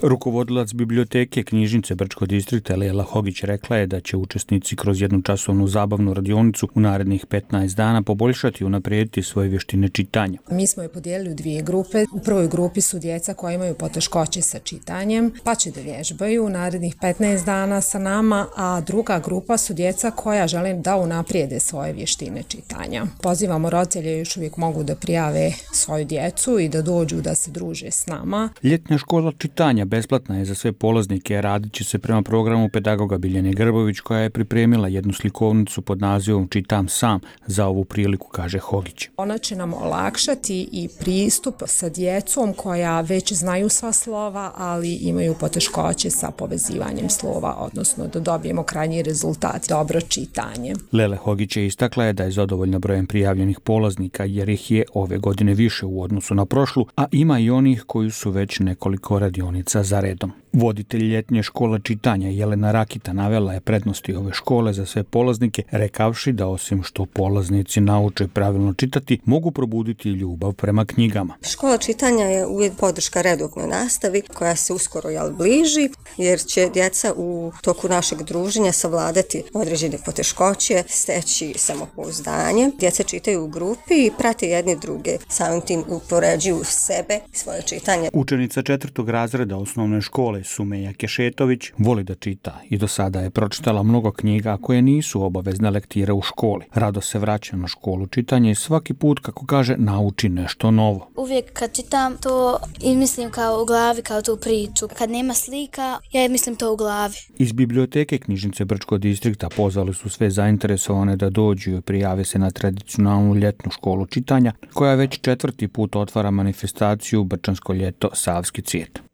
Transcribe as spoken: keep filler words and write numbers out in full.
Rukovodilac biblioteke knjižnice Brčkog distrikta Lela Hogić rekla je da će učesnici kroz jednu časovnu zabavnu radionicu u narednih petnaest dana poboljšati i unaprijediti svoje vještine čitanja. Mi smo je podijelili u dvije grupe. U prvoj grupi su djeca koja imaju poteškoće sa čitanjem, pa će da vježbaju u narednih petnaest dana sa nama, a druga grupa su djeca koja žele da unaprijede svoje vještine čitanja. Pozivamo roditelje, još uvijek mogu da prijave svoju djecu i da dođu da se druže s nama. Ljetna škola čitanja besplatna je za sve polaznike, radit će se prema programu pedagoga Biljane Grbović, koja je pripremila jednu slikovnicu pod nazivom Čitam sam za ovu priliku, kaže Hogić. Ona će nam olakšati i pristup sa djecom koja već znaju sva slova, ali imaju poteškoće sa povezivanjem slova, odnosno da dobijemo krajnji rezultat, dobro čitanje. Lele Hogić je istakla je da je zadovoljna brojem prijavljenih polaznika jer ih je ove godine više u odnosu na prošlu, a ima i onih koji su već nekoliko radionica za redom. Voditelj ljetnje škole čitanja Jelena Rakita navela je prednosti ove škole za sve polaznike, rekavši da osim što polaznici nauče pravilno čitati, mogu probuditi ljubav prema knjigama. Škola čitanja je uvijek podrška redovnoj nastavi koja se uskoro jel bliži, jer će djeca u toku našeg druženja savladati određene poteškoće, steći samopouzdanje. Djeca čitaju u grupi i prate jedne druge, samim tim upoređuju sebe, svoje čitanje. Učenica četvrtog razreda osnovne škole Sumeja Kešetović voli da čita i do sada je pročitala mnogo knjiga koje nisu obavezne lektire u školi. Rado se vraća na školu čitanja i svaki put, kako kaže, nauči nešto novo. Uvijek kad čitam to i mislim kao u glavi, kao tu priču. Kad nema slika, ja mislim to u glavi. Iz biblioteke knjižnice Brčkog distrikta pozvali su sve zainteresovane da dođu i prijave se na tradicionalnu ljetnu školu čitanja, koja već četvrti put otvara manifestaciju Brčansko ljeto Savski cvijet.